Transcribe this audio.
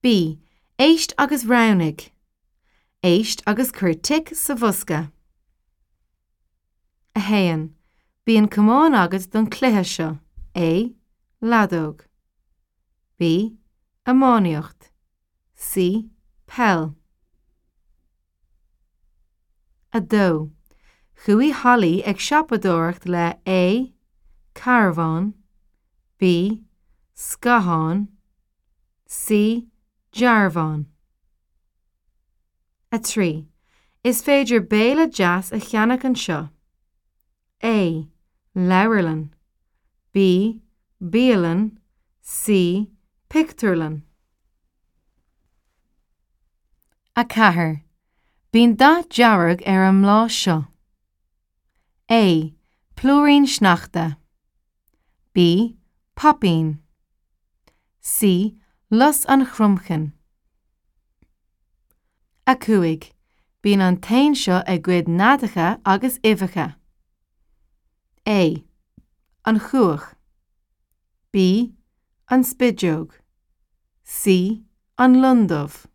B. Éist agus roghnaigh. Éist agus cuir tic sa bhosca. 1. Bíonn camán agat don chluiche seo. A. Leadóg. B. Iománaíocht. C. Peil. 2. Chuaigh Holly ag siopadóireacht le A. Carbhán B. Scáthán C. Dearbhán. 3. Is féidir béile deas a cheannach anseo. A. Leabharlann B. Bialann C. Pictiúrlann. 4. Bíonn dath dearg ar an mbláth seo. A. Plúirín sneachta. B. Poipín. C. Lus an chromchinn. 5. Bíonn an t-éan seo ag goid neadacha agus uibheacha. A. An chuach. B. An spideog. C. An londubh.